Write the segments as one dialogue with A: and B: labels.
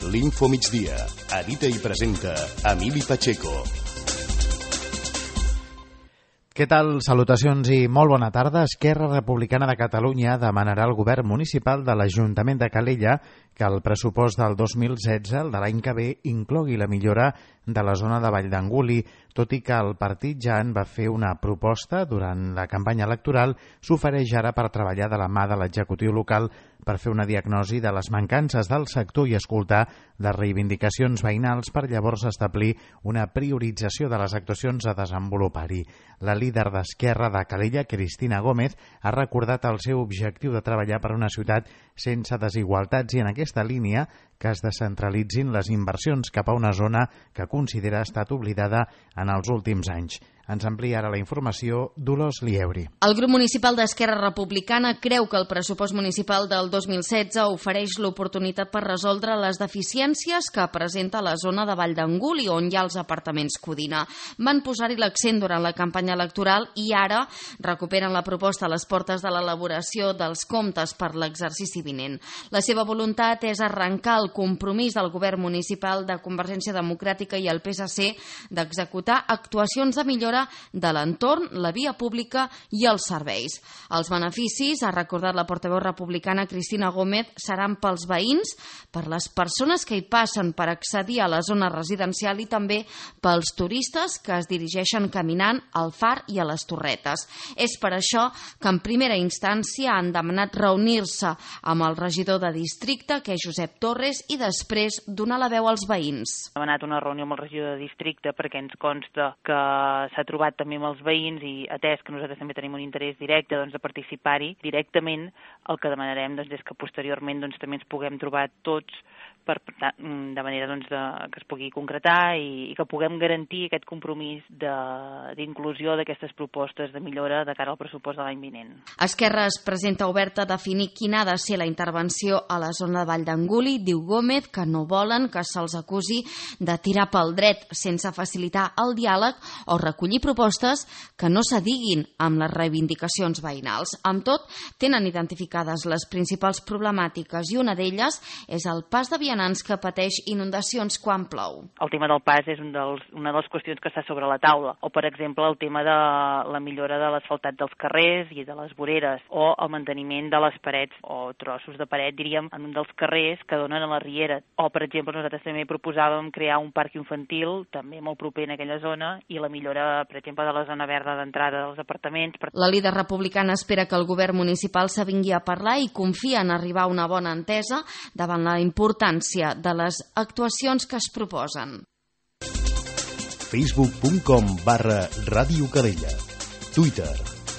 A: l'Info Migdia. Edita i presenta Emili Pacheco.
B: Què tal? Salutacions i molt bona tarda. Esquerra Republicana de Catalunya demanarà al govern municipal de l'Ajuntament de Calella que el pressupost del 2016, el de l'any que ve, inclogui la millora de la zona de Vall d'Anguli. Tot i que el partit ja en va fer una proposta durant la campanya electoral, s'ofereix ara per treballar de la mà de l'executiu local per fer una diagnosi de les mancances del sector i escoltar les reivindicacions veïnals per llavors establir una priorització de les actuacions a desenvolupar-hi. La líder d'Esquerra de Calella, Cristina Gómez, ha recordat el seu objectiu de treballar per una ciutat sense desigualtats i en aquesta línia que es descentralitzin les inversions cap a una zona que considera ha estat oblidada en els últims anys. Ens amplia ara la informació Dolors Lieuri.
C: El grup municipal d'Esquerra Republicana creu que el pressupost municipal del 2016 ofereix l'oportunitat per resoldre les deficiències que presenta la zona de Vall d'Anguli, on hi ha els apartaments Codina. Van posar-hi l'accent durant la campanya electoral i ara recuperen la proposta a les portes de l'elaboració dels comptes per l'exercici vinent. La seva voluntat és arrencar el compromís del govern municipal de Convergència Democràtica i el PSC d'executar actuacions de millora de l'entorn, la via pública i els serveis. Els beneficis, ha recordat la portaveu republicana Cristina Gómez, seran pels veïns, per les persones que hi passen per accedir a la zona residencial i també pels turistes que es dirigeixen caminant al far i a les torretes. És per això que en primera instància han demanat reunir-se amb el regidor de districte, que és Josep Torres, i després donar la veu als veïns.
D: Hem anat a una reunió amb el regidor de districte perquè ens consta que s'ha trobat també amb els veïns i atès que nosaltres també tenim un interès directe de participar-hi directament, el que demanarem és que posteriorment també ens puguem trobar tots de manera que es pugui concretar i que puguem garantir aquest compromís d'inclusió d'aquestes propostes de millora de cara al pressupost de l'any vinent.
C: Esquerra es presenta oberta a definir quina ha de ser la intervenció a la zona de Vall d'Anguli. Diu Gómez que no volen que se'ls acusi de tirar pel dret sense facilitar el diàleg o recollir propostes que no s'adiguin amb les reivindicacions veïnals. Amb tot, tenen identificades les principals problemàtiques i una d'elles és el pas de vianants que pateix inundacions quan plou.
D: El tema del pas és una de les qüestions que està sobre la taula, o per exemple el tema de la millora de l'asfaltat dels carrers i de les voreres, o el manteniment de les parets o trossos de paret, diríem, en un dels carrers que donen a la riera. O per exemple nosaltres també proposàvem crear un parc infantil, també molt proper en aquella zona, i la millora, per exemple, de la zona verda d'entrada dels apartaments.
C: La líder republicana espera que el govern municipal s'avingui a parlar i confia en arribar a una bona entesa davant la importància de les actuacions que es proposen.
A: Facebook.com/Ràdio Calella. Twitter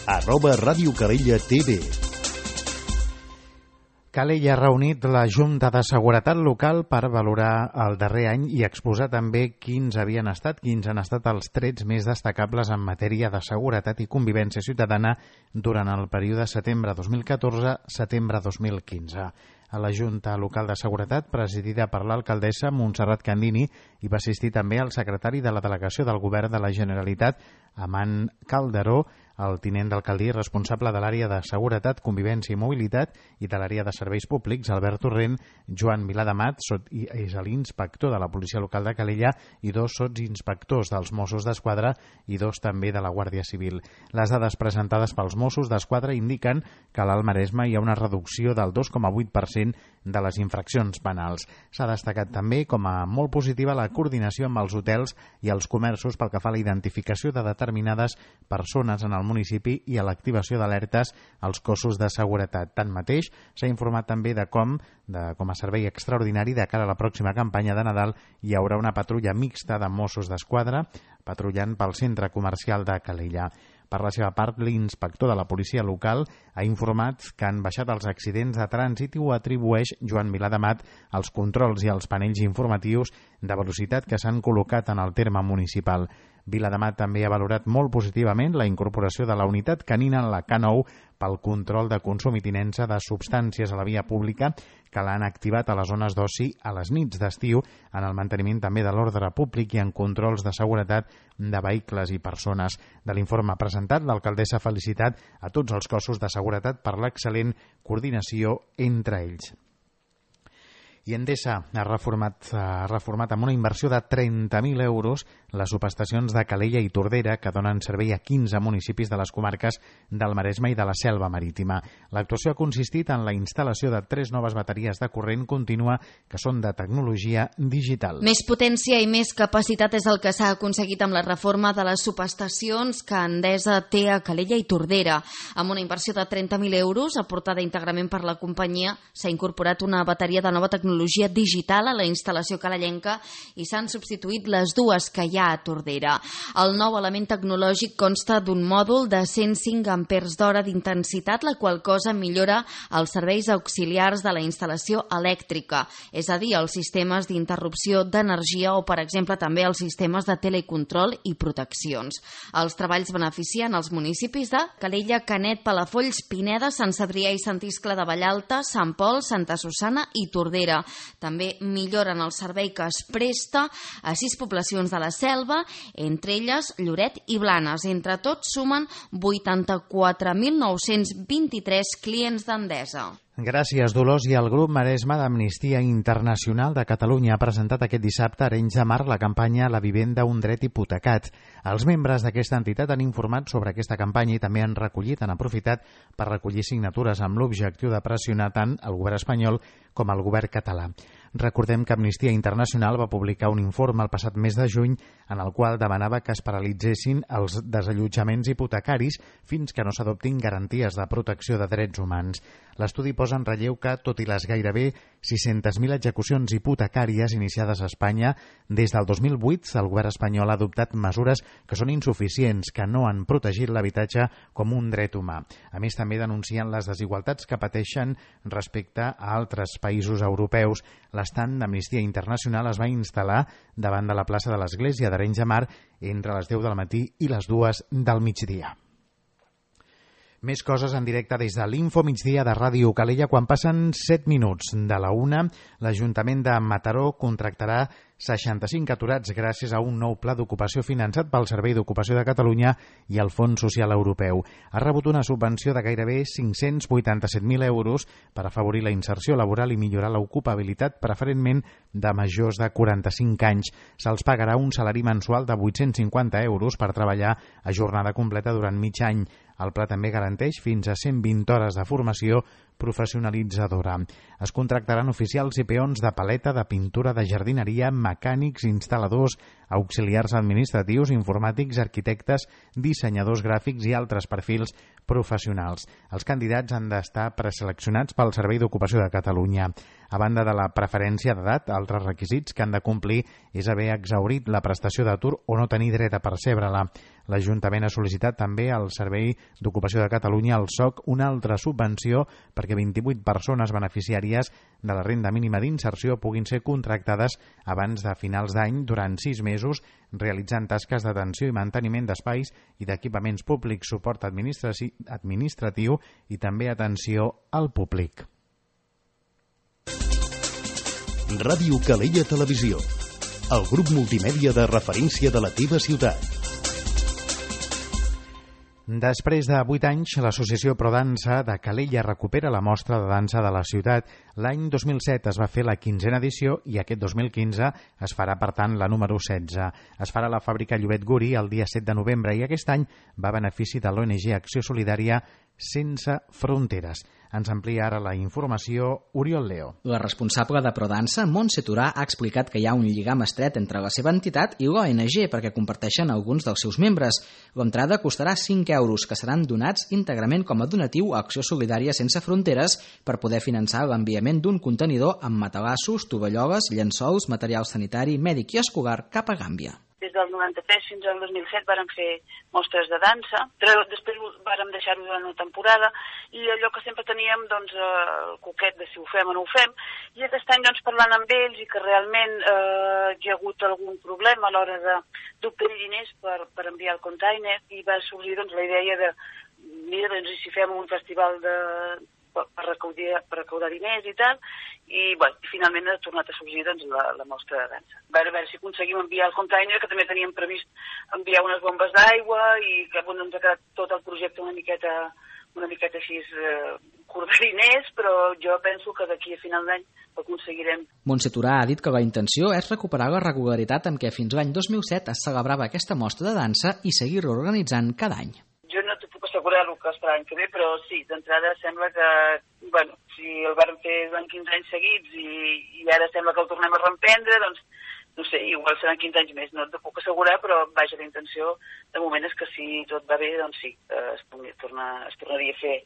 A: @Ràdio Calella TV.
B: Calella ha reunit la Junta de Seguretat Local per valorar el darrer any i exposar també quins han estat els trets més destacables en matèria de seguretat i convivència ciutadana durant el període setembre 2014-setembre 2015. A la Junta Local de Seguretat, presidida per l'alcaldessa Montserrat Candini, hi va assistir també el secretari de la Delegació del Govern de la Generalitat, Amant Calderó, el tinent d'alcaldia responsable de l'àrea de Seguretat, Convivència i Mobilitat i de l'àrea de Serveis Públics, Albert Torrent, Joan Vilademat, és l'inspector de la Policia Local de Calella, i 2 sotsinspectors dels Mossos d'Esquadra i 2 també de la Guàrdia Civil. Les dades presentades pels Mossos d'Esquadra indiquen que a l'Alt Maresme hi ha una reducció del 2,8% de les infraccions penals. S'ha destacat també com a molt positiva la coordinació amb els hotels i els comerços pel que fa a la identificació de determinades persones en el municipi i a l'activació d'alertes als cossos de seguretat. Tanmateix, s'ha informat també de com a servei extraordinari de cara a la pròxima campanya de Nadal hi haurà una patrulla mixta de Mossos d'Esquadra patrullant pel centre comercial de Calella. Per la seva part, l'inspector de la policia local ha informat que han baixat els accidents de trànsit i ho atribueix Joan Vilademat als controls i als panells informatius de velocitat que s'han col·locat en el terme municipal. Vilademat també ha valorat molt positivament la incorporació de la unitat canina en la K9 pel control de consum i tinença de substàncies a la via pública que l'han activat a les zones d'oci a les nits d'estiu en el manteniment també de l'ordre públic i en controls de seguretat de vehicles i persones. De l'informe presentat, l'alcaldessa ha felicitat a tots els cossos de seguretat per l'excel·lent coordinació entre ells. I Endesa ha reformat amb una inversió de 30.000 euros les subestacions de Calella i Tordera, que donen servei a 15 municipis de les comarques del Maresme i de la Selva Marítima. L'actuació ha consistit en la instal·lació de 3 noves bateries de corrent contínua que són de tecnologia digital.
C: Més potència i més capacitat és el que s'ha aconseguit amb la reforma de les subestacions que Endesa té a Calella i Tordera. Amb una inversió de 30.000 euros, aportada íntegrament per la companyia, s'ha incorporat una bateria de nova tecnologia digital a la instal·lació calellenca i s'han substituït les dues que hi ha a Tordera. El nou element tecnològic consta d'un mòdul de 105 amperes d'hora d'intensitat, la qual cosa millora els serveis auxiliars de la instal·lació elèctrica, és a dir, els sistemes d'interrupció d'energia o, per exemple, també els sistemes de telecontrol i proteccions. Els treballs beneficien els municipis de Calella, Canet, Palafolls, Pineda, Sant Cebrià i Sant Iscle de Vallalta, Sant Pol, Santa Susanna i Tordera. També milloren el servei que es presta a 6 poblacions de la Selva, entre elles Lloret i Blanes. Entre tots sumen 84.923 clients d'Endesa.
B: Gràcies, Dolors. I el grup Maresme d'Amnistia Internacional de Catalunya ha presentat aquest dissabte a Arenys de Mar la campanya La vivenda, un dret hipotecat. Els membres d'aquesta entitat han informat sobre aquesta campanya i també han aprofitat per recollir signatures amb l'objectiu de pressionar tant el govern espanyol com el govern català. Recordem que Amnistia Internacional va publicar un informe el passat mes de juny en el qual demanava que es paralitzessin els desallotjaments hipotecaris fins que no s'adoptin garanties de protecció de drets humans. L'estudi posa en relleu que, tot i les gairebé 600.000 execucions hipotecàries iniciades a Espanya, des del 2008 el govern espanyol ha adoptat mesures que són insuficients, que no han protegit l'habitatge com un dret humà. A més, també denuncien les desigualtats que pateixen respecte a altres països europeus. L'estand d'Amnistia Internacional es va instal·lar davant de la plaça de l'Església d'Arenys de Mar entre les 10 del matí i les 2 del migdia. Més coses en directe des de l'Info Migdia de Ràdio Calella. Quan passen 7 minuts de la 1, l'Ajuntament de Mataró contractarà 65 aturats gràcies a un nou pla d'ocupació finançat pel Servei d'Ocupació de Catalunya i el Fons Social Europeu. Ha rebut una subvenció de gairebé 587.000 euros per afavorir la inserció laboral i millorar l'ocupabilitat, preferentment de majors de 45 anys. Se'ls pagarà un salari mensual de 850 euros per treballar a jornada completa durant mig any. El pla també garanteix fins a 120 hores de formació professionalitzadora. Es contractaran oficials i peons de paleta, de pintura, de jardineria, mecànics, instal·ladors, auxiliars administratius, informàtics, arquitectes, dissenyadors gràfics i altres perfils professionals. Els candidats han d'estar preseleccionats pel Servei d'Ocupació de Catalunya. A banda de la preferència d'edat, altres requisits que han de complir és haver exhaurit la prestació d'atur o no tenir dret a percebre-la. L'Ajuntament ha sol·licitat també al Servei d'Ocupació de Catalunya, al SOC, una altra subvenció perquè 28 persones beneficiàries de la renda mínima d'inserció puguin ser contractades abans de finals d'any durant 6 mesos, realitzant tasques d'atenció i manteniment d'espais i d'equipaments públics, suport administratiu i també atenció al públic.
A: Ràdio Calella Televisió, el grup multimèdia de referència de la teva ciutat.
B: Després de 8 anys, l'Associació Prodansa de Calella recupera la mostra de dansa de la ciutat. L'any 2007 es va fer la 15a edició i aquest 2015 es farà, per tant, la número 16. Es farà a la fàbrica Llobet Guri el dia 7 de novembre i aquest any va a benefici de l'ONG Acció Solidària Sense Fronteres. Ens amplia ara la informació Oriol Leo.
E: La responsable de Prodansa, Montse Turà, ha explicat que hi ha un lligam estret entre la seva entitat i l'ONG perquè comparteixen alguns dels seus membres. L'entrada costarà 5 euros, que seran donats íntegrament com a donatiu a Acció Solidària Sense Fronteres per poder finançar l'enviament d'un contenidor amb matalassos, tovalloles, llençols, material sanitari, mèdic i escolar cap a Gàmbia.
F: Des del 93 fins al 2007 vàrem fer mostres de dansa, però després vàrem deixar-ho durant una temporada i allò que sempre teníem, doncs, el coquet de si ho fem o no ho fem, i aquest any, doncs, parlant amb ells i que realment hi ha hagut algun problema a l'hora d'obtenir diners per enviar el container, i va sorgir, doncs, la idea de, mira, doncs, si fem un festival per recaudar diners i tal, i bueno, finalment ha tornat a sorgir, doncs, la mostra de dansa. A veure si aconseguim enviar el container, que també teníem previst enviar unes bombes d'aigua i que, bueno, ens ha quedat tot el projecte una miqueta una miqueta així cordariners, però jo penso que d'aquí a final d'any ho aconseguirem.
E: Montse Turà ha dit que la intenció és recuperar la regularitat amb què fins l'any 2007 es celebrava aquesta mostra de dansa i seguir reorganitzant cada any.
F: Jo no t'ho puc assegurar el que esperà l'any que ve, però sí, d'entrada sembla que, bueno, si el vam fer durant 15 anys seguits i ara sembla que el tornem a reemprendre, doncs, no sé, igual seran 15 anys més, no t'ho puc assegurar, però vaja, la intenció de moment és que si tot va bé, doncs sí, es tornaria a fer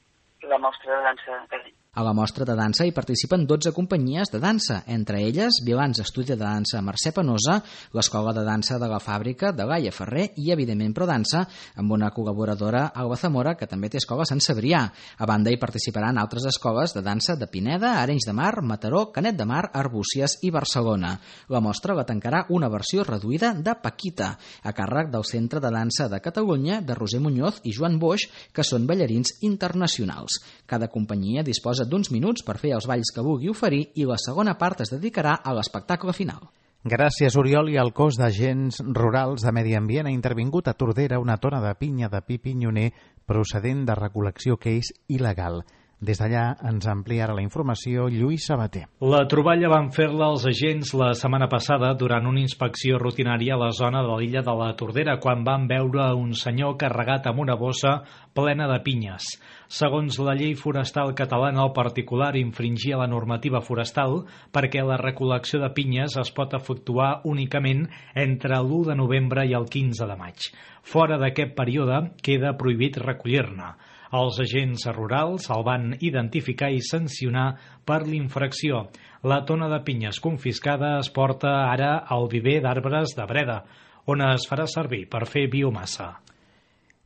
F: la mostra de dansa cada any.
E: A la mostra de dansa hi participen 12 companyies de dansa, entre elles Vilans Estudi de Dansa Mercè Penosa, l'Escola de Dansa de la Fàbrica de Laia Ferrer i, evidentment, Prodansa, amb una col·laboradora, Alba Zamora, que també té escola a Sant Cebrià. A banda, hi participaran altres escoles de dansa de Pineda, Arenys de Mar, Mataró, Canet de Mar, Arbúcies i Barcelona. La mostra la tancarà una versió reduïda de Paquita, a càrrec del Centre de Dansa de Catalunya, de Roser Muñoz i Joan Boix, que són ballarins internacionals. Cada companyia disposa d'uns minuts per fer els balls que vulgui oferir i la segona part es dedicarà a l'espectacle final.
B: Gràcies, Oriol. I el cos d'agents rurals de Medi Ambient ha intervingut a Tordera una tona de pinya de pi pinyoner procedent de recol·lecció que és il·legal. Des d'allà ens ampliarà la informació Lluís Sabater.
G: La troballa van fer-la els agents la setmana passada durant una inspecció rutinària a la zona de l'illa de la Tordera, quan van veure un senyor carregat amb una bossa plena de pinyes. Segons la llei forestal catalana, el particular infringia la normativa forestal perquè la recol·lecció de pinyes es pot efectuar únicament entre l'1 de novembre i el 15 de maig. Fora d'aquest període queda prohibit recollir-ne. Els agents rurals el van identificar i sancionar per l'infracció. La tona de pinyes confiscada es porta ara al viver d'arbres de Breda, on es farà servir per fer biomassa.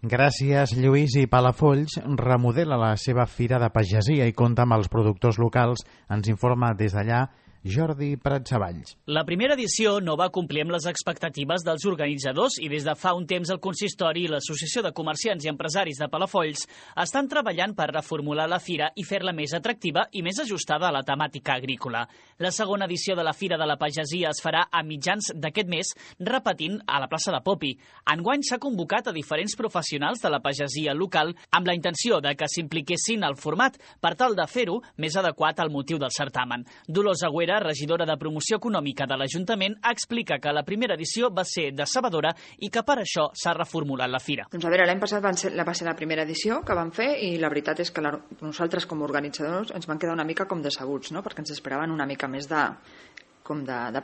B: Gràcies, Lluís. I Palafolls remodela la seva fira de pagesia i compta amb els productors locals. Ens informa des d'allà Jordi Pratsavalls.
H: La primera edició no va complir amb les expectatives dels organitzadors i des de fa un temps el consistori i l'Associació de Comerciants i Empresaris de Palafolls estan treballant per reformular la fira i fer-la més atractiva i més ajustada a la temàtica agrícola. La segona edició de la Fira de la Pagesia es farà a mitjans d'aquest mes, repetint a la plaça de Popi. Enguany s'ha convocat a diferents professionals de la pagesia local amb la intenció de que s'impliquessin al format per tal de fer-ho més adequat al motiu del certamen. Dolors Agüera, regidora de Promoció Econòmica de l'Ajuntament, explica que la primera edició va ser decebedora i que per això s'ha reformulat la fira.
I: Doncs a veure, l'any passat va ser la primera edició que vam fer i la veritat és que nosaltres com a organitzadors ens van quedar una mica com decebuts, no? Perquè ens esperaven una mica més de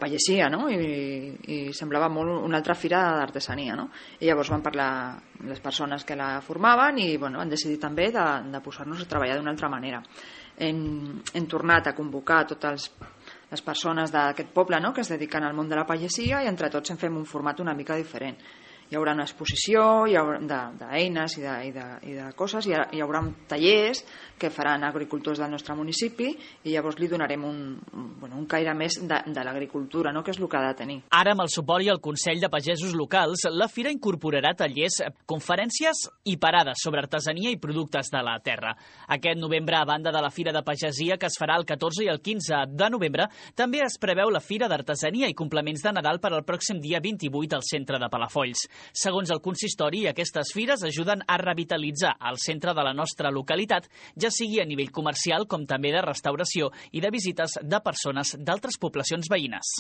I: pagesia, no? I semblava molt una altra fira d'artesania, no? I llavors van parlar les persones que la formaven i han decidit també de posar-nos a treballar d'una altra manera. Hem tornat a convocar totes les persones d'aquest poble, no?, que es dediquen al món de la pagesia i entre tots en fem un format una mica diferent. Hi haurà una exposició d'eines i de coses, hi haurà tallers que faran agricultors del nostre municipi i llavors li donarem un caire més de l'agricultura, no?, que és el que ha de tenir.
H: Ara, amb el suport i el Consell de Pagesos Locals, la fira incorporarà tallers, conferències i parades sobre artesania i productes de la terra. Aquest novembre, a banda de la Fira de Pagesia, que es farà el 14 i el 15 de novembre, també es preveu la Fira d'Artesania i Complements de Nadal per al pròxim dia 28 al centre de Palafolls. Segons el consistori, aquestes fires ajuden a revitalitzar el centre de la nostra localitat, ja sigui a nivell comercial com també de restauració i de visites de persones d'altres poblacions veïnes.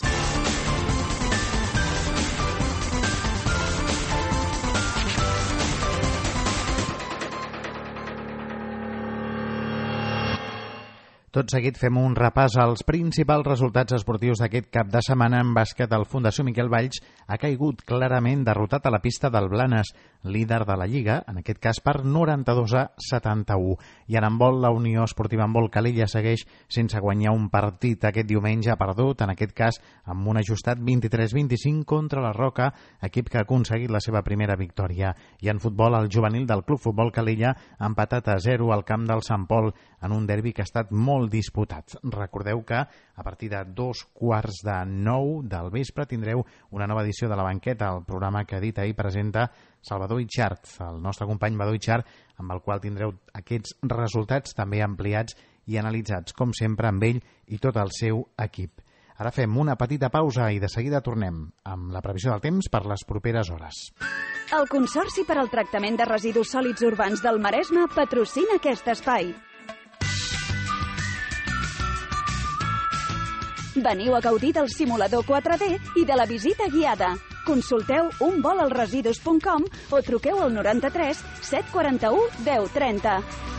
B: Tot seguit fem un repàs als principals resultats esportius d'aquest cap de setmana. En bàsquet, el Fundació Miquel Valls ha caigut clarament derrotat a la pista del Blanes, líder de la Lliga, en aquest cas per 92-71. I en handbol, la Unió Esportiva Handbol Calella segueix sense guanyar un partit. Aquest diumenge ha perdut, en aquest cas amb un ajustat 23-25 contra la Roca, equip que ha aconseguit la seva primera victòria. I en futbol, el juvenil del Club Futbol Calella ha empatat a 0 al camp del Sant Pol en un derbi que ha estat molt disputats. Recordeu que a partir de 8:45 del vespre tindreu una nova edició de La Banqueta, el programa que dit ahir presenta Salvador Itxart, el nostre company Badó Itxart, amb el qual tindreu aquests resultats també ampliats i analitzats, com sempre, amb ell i tot el seu equip. Ara fem una petita pausa i de seguida tornem amb la previsió del temps per les properes hores.
J: El Consorci per al Tractament de Residus Sòlids Urbans del Maresme patrocina aquest espai. Veniu a gaudir del simulador 4D i de la visita guiada. Consulteu unvolalresidus.com o truqueu al 93 741 1030.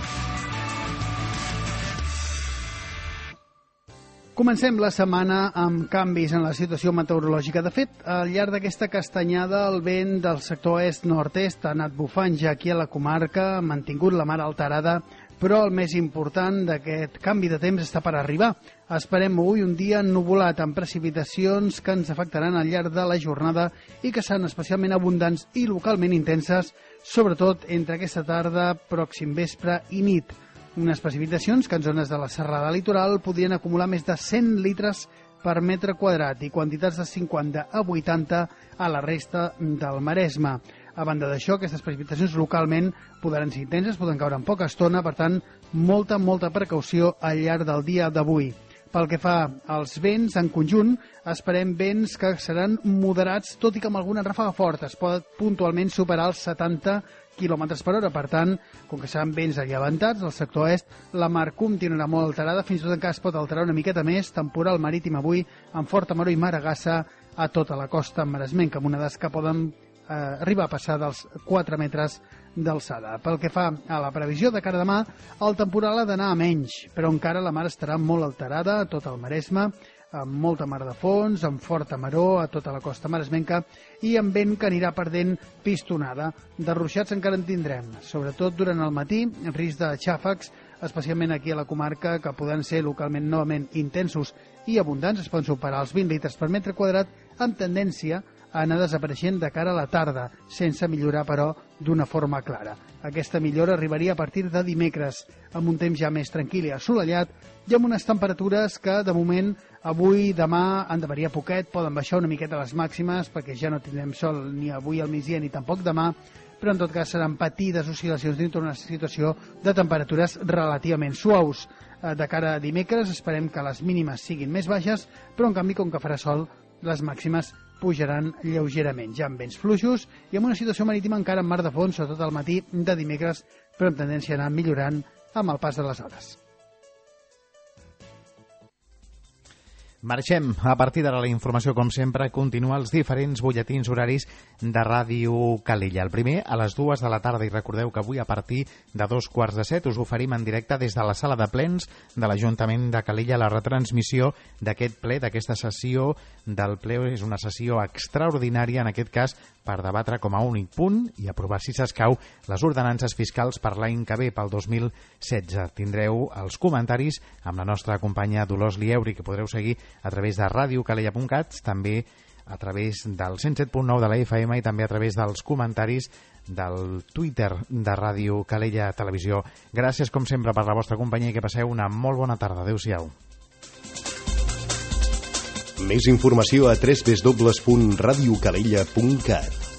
K: Comencem la setmana amb canvis en la situació meteorològica. De fet, al llarg d'aquesta castanyada, el vent del sector est-nord-est ha anat bufant ja aquí a la comarca, ha mantingut la mar alterada, però el més important d'aquest canvi de temps està per arribar. Esperem avui un dia ennuvolat amb precipitacions que ens afectaran al llarg de la jornada i que seran especialment abundants i localment intenses, sobretot entre aquesta tarda, pròxim vespre i nit. Unes precipitacions que en zones de la serrada litoral podrien acumular més de 100 litres per metre quadrat i quantitats de 50 a 80 a la resta del Maresme. A banda d'això, aquestes precipitacions localment podran ser intenses, poden caure en poca estona, per tant, molta precaució al llarg del dia d'avui. Pel que fa als vents, en conjunt, esperem vents que seran moderats, tot i que amb alguna ràfaga forta. Es pot puntualment superar els 70 km per hora. Per tant, com que seran vents allevantats, al sector est, la mar continuarà molt alterada, fins i tot encara es pot alterar una miqueta més, temporal marítim avui, amb forta maror i maragassa a tota la costa maresmenca, amb onades que poden arribar a passar dels 4 metres d'alçada. Pel que fa a la previsió de cara a demà, el temporal ha d'anar a menys, però encara la mar estarà molt alterada a tot el Maresme, amb molta mar de fons, amb forta maror a tota la costa maresmenca i amb vent que anirà perdent pistonada. De ruixats encara en tindrem, sobretot durant el matí, risc de xàfecs, especialment aquí a la comarca, que poden ser localment novament intensos i abundants, es poden superar els 20 litres per metre quadrat, amb tendència a anar desapareixent de cara a la tarda, sense millorar, però, d'una forma clara. Aquesta millora arribaria a partir de dimecres, amb un temps ja més tranquil i assolellat, i amb unes temperatures que, de moment, avui i demà han de variar poquet, poden baixar una miqueta les màximes, perquè ja no tindrem sol ni avui al migdia ni tampoc demà, però en tot cas seran petites oscil·lacions dintre una situació de temperatures relativament suaus. De cara a dimecres esperem que les mínimes siguin més baixes, però en canvi, com que farà sol, les màximes pujaran lleugerament, ja amb vents fluixos i amb una situació marítima encara en mar de fons, sobretot al matí de dimecres, però amb tendència a anar millorant amb el pas de les hores.
B: Marxem. A partir d'ara la informació, com sempre, continua els diferents butlletins horaris de Ràdio Calella. El primer, a les 2 de la tarda, i recordeu que avui a partir de 2:45 us oferim en directe des de la sala de plens de l'Ajuntament de Calella la retransmissió d'aquest ple, d'aquesta sessió del ple. És una sessió extraordinària, en aquest cas, per debatre com a únic punt i aprovar, si s'escau, les ordenances fiscals per l'any que ve, pel 2016. Tindreu els comentaris amb la nostra companya Dolors Lieuri, que podreu seguir a través de radiocalella.cat, també a través del 107.9 de la FM i també a través dels comentaris del Twitter de Ràdio Calella Televisió. Gràcies, com sempre, per la vostra companyia i que passeu una molt bona tarda. Adéu-siau.
A: Més informació a www.radiocalella.cat.